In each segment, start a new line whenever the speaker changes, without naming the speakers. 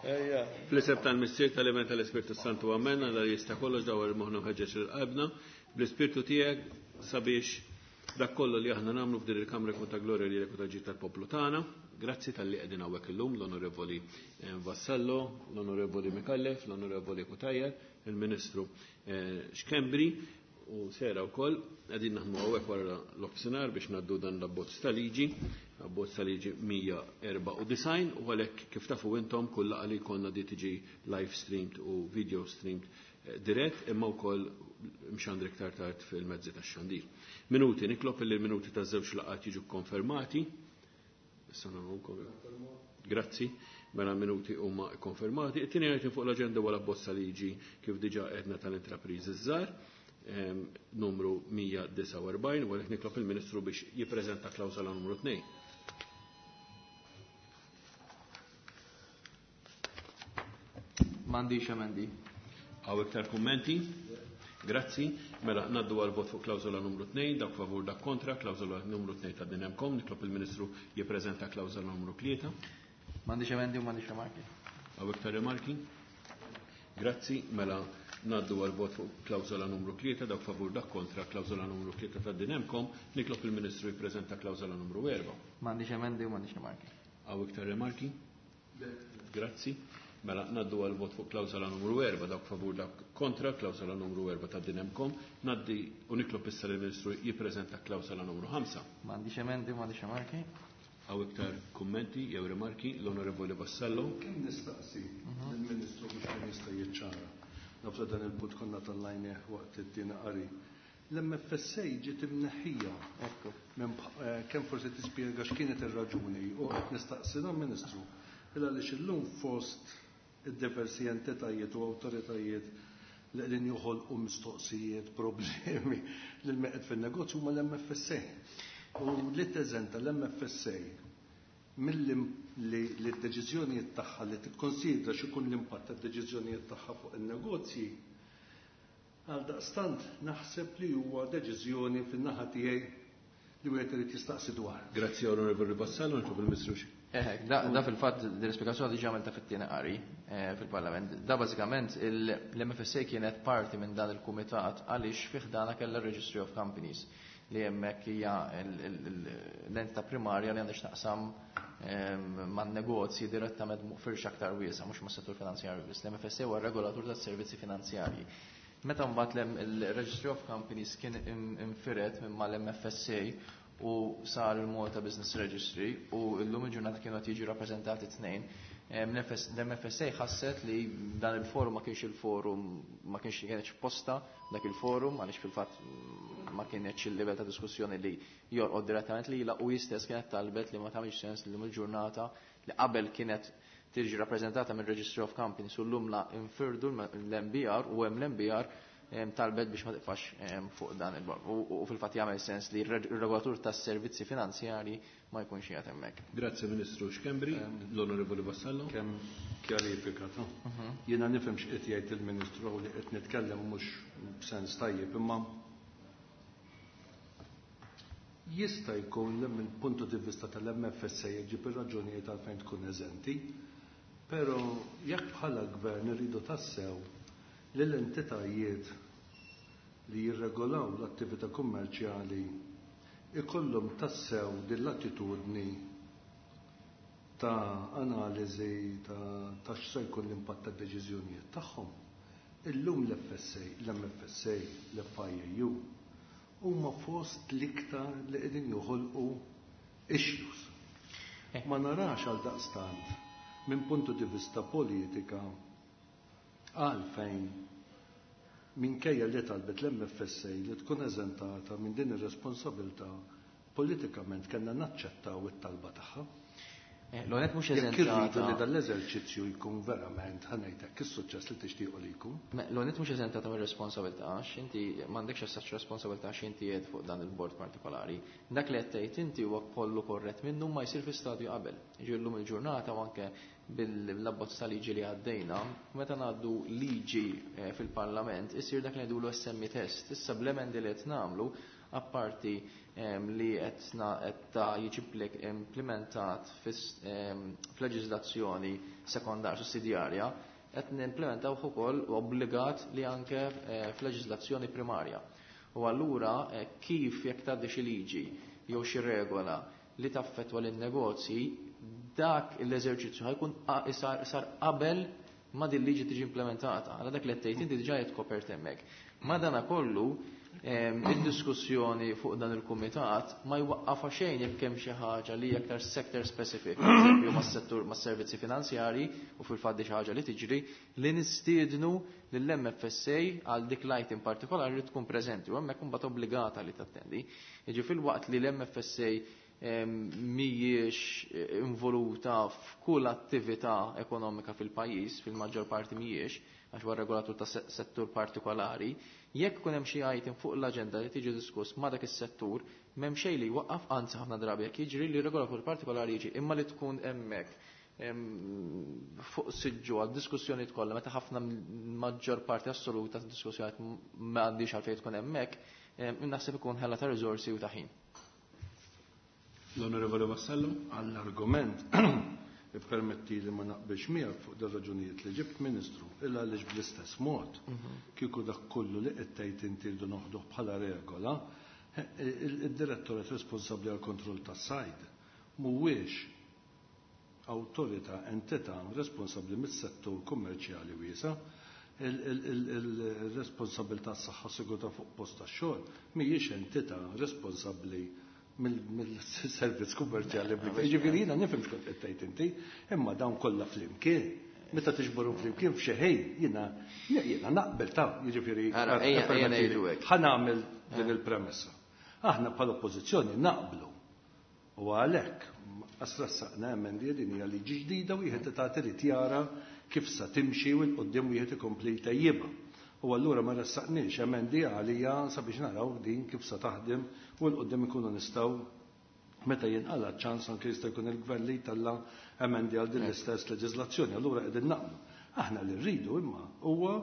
Ejja.
Fl-isem tal-Missier tal-Iben tal-Ispirtu Santu Amen, Alla li jista' kollox dawwar moħħna u ħeġġeġ lil qalbna bl-Ispirtu tiegħek sabiex dak kollu li aħna nagħmlu f'din il-Kamra jkun ta' glorja lilek u ta' ġid tal-poplu tagħna. Grazzi talli qegħdin hawnhekk illum l-Onorevoli Vassallo, l-Onorevoli Micallef, l-Onorevoli Cutajar, il-Ministru Schembri u Sera wkoll. Qegħdin naħdmu hawnhekk wara l-offsinar biex ngħaddu dan l-abbozz ta' liġi, abbozz ta' liġi 194, u għalhekk kif tafu intom kull laqgħa li jkollna di tiġi live streamed u video streamed dirett, imma wkoll mxandri iktar tard fil-mezzi tax-xandir. Minuti, nitlob li l-minuti taż-żewġ laqgħat jiġu konfermati. Issa nagħmluhom. Grazzi, mela minuti huma konfermati. It-tieni item fuq l-aġenda huwa l-abbozz ta' liġi kif diġà għedna tal-intrapriżi żgħar, numru 149, u għalhekk nitlob il-Ministru biex jippreżenta klawsola numru 2.
M'għandix emendi.
Hawn iktar kummenti? Grazzi. Mela ngħaddu għal vot fuq klawsola numru 2, dak favur dak kontra, klawsola numru 2 ta' din hemmkom, nitlob il-Ministru jippreżenta klawsola numru 3.
M'għandix emendi u m'għandix rimarki.
Hawn iktar rimarki? Grazzi. Mela ngħaddu għal vot fuq klawsola numru 3, dak favur dak kontra, klawsola numru 3 ta' din hemmkom, nitlob il-Ministru jippreżenta klawsola numru 4.
M'għandix emendi u m'għandix rimarki.
Hawn iktar rimarki? Grazzi. Mela ngħaddu għal vot fuq klawsola numru 4, dak favur dak kontra, klawsola numru 4 ta' din hemmkom, ngħaddi u nitlob issa lill-Ministru jippreżenta klawsola numru 5.
M'għandix emendi u m'għandix rimarki.
Hawn iktar kummenti jew rimarki? L-Onorevoli Vassallo.
Kemm nistaqsi lill-Ministru biex kien jista' jiċċara. Naf li dan il-punt konna tallajnieh waqt it-tieni qari. L-MFSA ġiet imneħħija.
Ekku.
Kemm forsi tispjega x'kienet ir-raġuni u qed nistaqsi lill-Ministru il għaliex illum fost id-diversi entitajiet u awtoritajiet li qegħdin joħolqu mistoqsijiet, problemi lil min qed fin-negozju huma l-MFSA. U li teżenta l-MFSA milli li d-deċiżjonijiet tagħha li tikkonsidra x'ikun l-impatt tad-deċiżjonijiet tagħha fuq in-negozji, għaldaqstant naħseb li huwa deċiżjoni fin-naħa tiegħi li wieħed irid jistaqsi dwar.
Grazzi Onorevoli Vassallo, nitlob il-Ministru xi.
Da fil-fatt din l-ispjegazzjoni diġà għamilta fit-tieni qari fil-Parlament. Da bażikament l-MFSA kienet parti minn dan il-kumitat għaliex fih dana kellha Registry of Companies li hemmhekk hija l-entità primarja li għandha x'taqsam man-negozji direttament firxa aktar wiesa', mhux mas-settur finanzjarju biss. L-MFSA huwa regolatur tas-servizzi finanzjarji. Meta mbagħad il-Registry of Companies kien infired minn mal-MFSA u sar il-Malta Business Registry u llum il-ġurnata kienu qed jiġu rappreżentati tnejn, l-MFSA ħasset li dan il-forum ma kienx il-forum, ma kienx kienx posta dak il-forum għaliex fil-fatt ma kienx il-livell ta' diskussjoni li jorqod direttament lilha u hi stess kienet talbet li ma tagħmilx sens li llum il-ġurnata li qabel kienet tiġi rappreżentata minn Registry of Companies u llum la infirdu l-MBR u hemm l-MBR talbet biex ma tiqfax fuq dan il-bord. U fil-fatt jagħmel sens li r-regolatur tas-servizzi finanzjarji ma jkunx qiegħed hemmhekk.
Grazzi Ministru Schembri, l-Onorevoli Vassallo.
Kemm kjarifika ta' jiena nifhem x'qed jgħid il-Ministru li qed nitkellem mhux b'sens tajjeb, imma jista' jkun li mill-puntu di vista tal-MFSA jġib ir-raġunijiet għalfejn tkun eżenti, però jekk bħala gvern irridu tassew li l-entitajiet li jirregolaw l-attività kummerċjali ikollhom tassew din l-attitudni ta' analiżi ta' x'se jkun l-impatt tad-deċiżjonijiet tagħhom. Illum l-FSA, l-MFSA, l-FIAU huma fost l-iktar li qegħdin joħolqu issues. Ma narax għal daqstant minn puntu di vista politika għalfejn minkejja li talbet l-MFSA li tkun eżentata minn din ir-responsabilità politikament kellna naċċettaw it-talba tagħha.
L-għonet mhux
Jekk irridu
eżentata.
li dan l-eżerċizzju jkun verament ħanejtek is-suċċess li tixtiequ li jkun.
L-għonet mhux eżentata mir-responsabilità għax inti m'għandekx assaċ responsabilità għax inti qiegħed fuq dan il-bord partikolari. Dak li qed tgħid inti huwa kollu korrett minnu ma jsir fi stadju qabel. Jiġi llum il-ġurnata u anke bil-abbozz ta' liġi li għaddejna, meta ngħaddu liġi fil-Parlament isir dak li ngħidulu SME test. Issa bl-emendi li qed nagħmlu, apparti li qed ta' jiġi implementat f'leġiżlazzjoni sekondarja sussidjarja, qed nimplementaw ukoll obbligat li anke f'leġiżlazzjoni primarja. U allura kif jekk tgħaddi xi liġi jew xi regola li taffettwa lin-negozji, dak l-eżerċizzju ħajkun sar qabel ma din liġi tiġi implementata. Għala dak li qed tgħid inti diġà qed kopert hemmhekk. Madana kollu id-diskussjoni fuq dan il-kumitat ma jwaqqafa xejn jekk hemm xi ħaġa li aktar sector specific, pereżempju mas-settur mas-servizzi finanzjarji, u fil-fatt xi ħaġa li tiġri li nistiednu lill-MFSA għal dik l-item partikolari li tkun preżenti u hemmhekk imbagħad obbligata li tattendi. Jiġi fil-waqt li l-MFSA mhijiex involuta f'kull attività ekonomika fil-pajjiż, fil-maġġor parti mhijiex, għax huwa regolatur ta' settur partikolari, jekk ikun hemm xi item fuq l-aġenda li tiġi diskuss ma' dak is-settur, m'hemm xejn li jwaqqaf, anzi ħafna drabi jekk jiġri li regolatur partikolari jiġi, imma li tkun hemmhekk fuq siġġu għad diskussjoni kollha meta ħafna maġġor parti assoluta ta' diskussjoni ma għandix għalfejn tkun hemmhekk, naħseb ikun ħella ta' riżorsi u ta' ħin.
L-Onorevole Vassallo?
Għall-argument, permetti li ma naqbilx miegħek fuq dar raġunijiet li ġibt, Ministru, illa għaliex bl-istess mod kieku dak kollu li qed tgħid inti rridu noħduh bħala regola, id-direttorat responsabbli għal kontroll tas-sajd mhuwiex awtorità, entità responsabbli mis-settur kummerċjali wiesa', il-responsabilità tas-saħħa sigurtà fuq post tax-xogħol mhijiex entità responsabbli mill-servizz kummerċjali. Ġifieri jiena nifhem x'kont qed tgħid inti, imma dawn kollha flimkien. Meta tiġborhom flimkien f'xi ħin jiena naqbel ta' jiġifieri ħa nagħmel din il-premessa. Aħna bħala oppożizzjoni naqblu. U għalhekk asrassaqna emendi din hija liġi ġdida u wieħed tagħti irid jara kif sa timxi u l-qudiem wieħed ikompli jtejjibha. U allura ma ressaqniex emendi għalija sabiex naraw din kif sa taħdem u l-qudiem ikunu nistgħu meta jinqala ċans anke jista' jkun il-gvern li jtella' emendi għal din l-istess leġiżlazzjoni. Allura qegħdin naqblu. Aħna li rridu imma huwa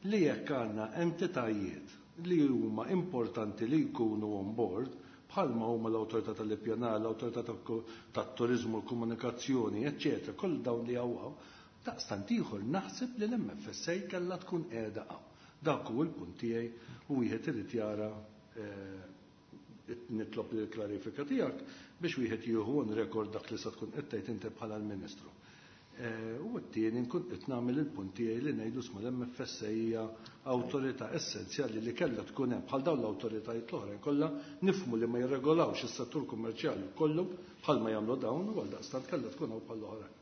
li jekk għandna entitajiet li huma importanti li jkunu on board, bħalma huma l-awtorità tal-ippjanar, l-awtorità tat-turiżmu, l-komunikazzjoni, eċċetera, kull dawn li hawn, daqstant ieħor naħseb li l-MFSA kellha tkun qiegħda hawn. Dak hu l-punt tiegħi u wieħed irid jara, nitlob li l-klarifika tiegħek biex wieħed jieħu on record dak li sa tkun qed tgħid inti bħala l-Ministru. U t-tieni nkun qed nagħmel il-punt tiegħi li ngħidu sma l-MFSA hija awtorità essenzjali li kellha tkun hemm bħal dawn l-awtoritajiet l-oħrajn kollha, nifhmu li ma jirregolawx is-settur kummerċjali kollu bħalma jagħmlu dawn u għaldaqstant kellha tkun hawn bħal oħrajn.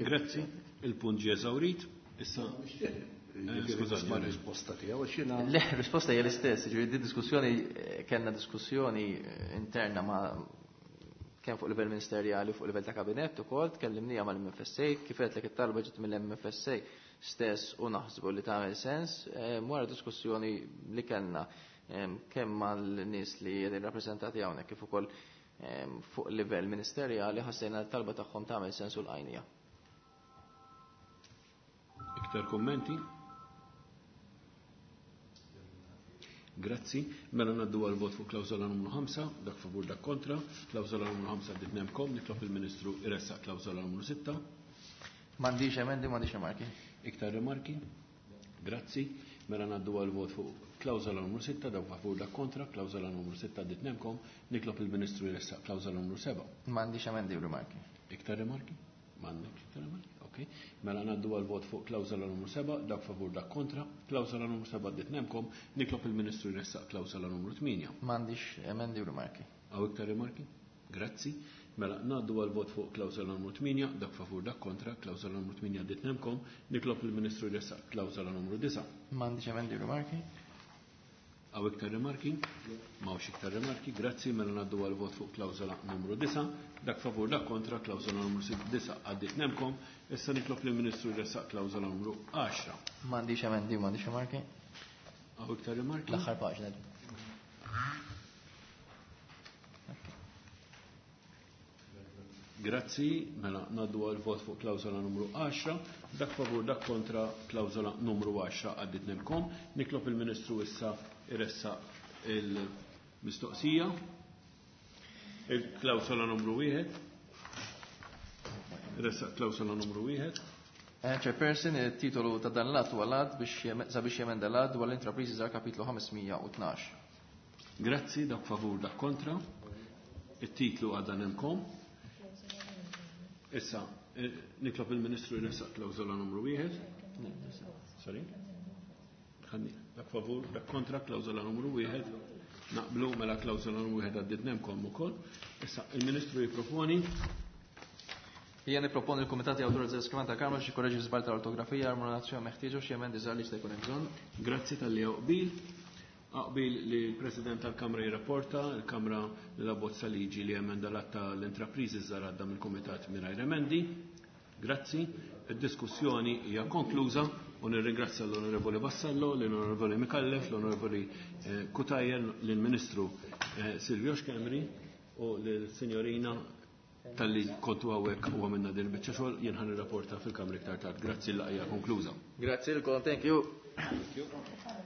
Grazzi, il-punt ġie eżawrit. Issa
Skużani, ma risposta tiegħu għax jiena
Le, risposta hija l-istess, ġifieri di diskussjoni kellna diskussjoni interna ma' kemm fuq livell ministerjali fuq livell ta' kabinett ukoll, tkellimnija mal-MFSA, kif qed it-talba ġiet mill-MFSA stess u naħsbu li tagħmel sens, wara diskussjoni li kellna kemm mal-nies li qegħdin rappreżentati hawnhekk kif ukoll fuq livell ministerjali ħassejna l-talba tagħhom tagħmel sens u l-għajnija.
Iktar kommenti? Grazzi. Mela ngħaddu għal vot fuq klawżola numru 5, dak favur dak kontra. Klawżola numru 5 għaddit nemkom, nitlob il-Ministru iressaq klawżola numru 6.
M'għandix emendi, m'għandix rimarki.
Iktar rimarki? Grazzi. Mela ngħaddu għal vot fuq klawżola numru 6, dak favur dak kontra, klawżola numru 6 għaddit nemkom, nitlob il-Ministru iressaq klawżola numru 7.
M'għandix emendi u rimarki.
Iktar rimarki? M'għandek iktar rimarki? Ok. Mela ngħaddu għal vot fuq klawżola numru 7, dak favur dak kontra, klawżola numru 7 għaddit nemkom, nitlob il-Ministru jressaq klawżola numru 8.
M'għandix emendi u rimarki.
Hawn iktar rimarki? Grazzi. Mela ngħaddu għal vot fuq klawżola numru 8, dak favur dak kontra, klawżola numru 8 għaddit nemkom, nitlob il-Ministru jressaq klawżola numru 9.
M'għandix emendi u rimarki.
Hawn iktar rimarki? M'hawnx iktar rimarki, grazzi. Mela ngħaddu għal vot fuq klawżola numru 9, dak favur dak kontra, klawżola numru 9 għaddit nemkom. Issa nitlob lill-Ministru jressaq klawżola numru 10.
M'għandix emendi, m'għandix rimarki.
Hawn iktar rimarki?
L-aħħar paġna.
Grazzi, mela ngħaddu għal vot fuq klawsola numru 10, dak favur dak kontra klawsola numru 10 għaddit nemkom. Nitlob il-Ministru issa iressaq il-mistoqsija. Il-klawsola numru 1. Iressaq klawsola numru 1.
Chairperson, il-titolu ta' dan l-att huwa l-att biex sabiex jemenda l-att dwar l-intrapriżi żgħar kapitlu 512.
Grazzi, dak favur dak kontra. Il-titlu għadda nemkom. Issa, nitlob il-Ministru jressaq klawsola numru 1. Sorry? Ħanni, dak favur, dak kontra, klawsola numru 1. Naqblu mela klawsola numru 1 għaddit nemkom ukoll. Issa, il-Ministru jipproponi
Hija nipproponi l-Kumitat jawtorizza l-iskrivan tal-Kamra biex jikkoreġi żball tal-ortografija, armonizzazzjoni meħtieġa u xi emendi żgħar li jista' jkun hemm bżonn.
Grazzi talli qbil. Qbil li l-President tal-Kamra jirrapporta, il-Kamra l-abbozza liġi li emenda l-att tal-intrapriżi żgħar għadda mill-Kumitat mingħajr emendi. Grazzi. Id-diskussjoni hija konkluża u nirringrazzja l-Onorevoli Vassallo, l-Onorevoli Micallef, l-Onorevoli Cutajar, l-Ministru Silvio Schembri u l-Signorina talli kontu hawnhekk u għamilna din biċċa xogħol, jien ħa nirrapporta fil-Kamra iktar tard. Grazzi, l-laqgħa konkluża.
Grazzi lilkom, thank you.
Thank you.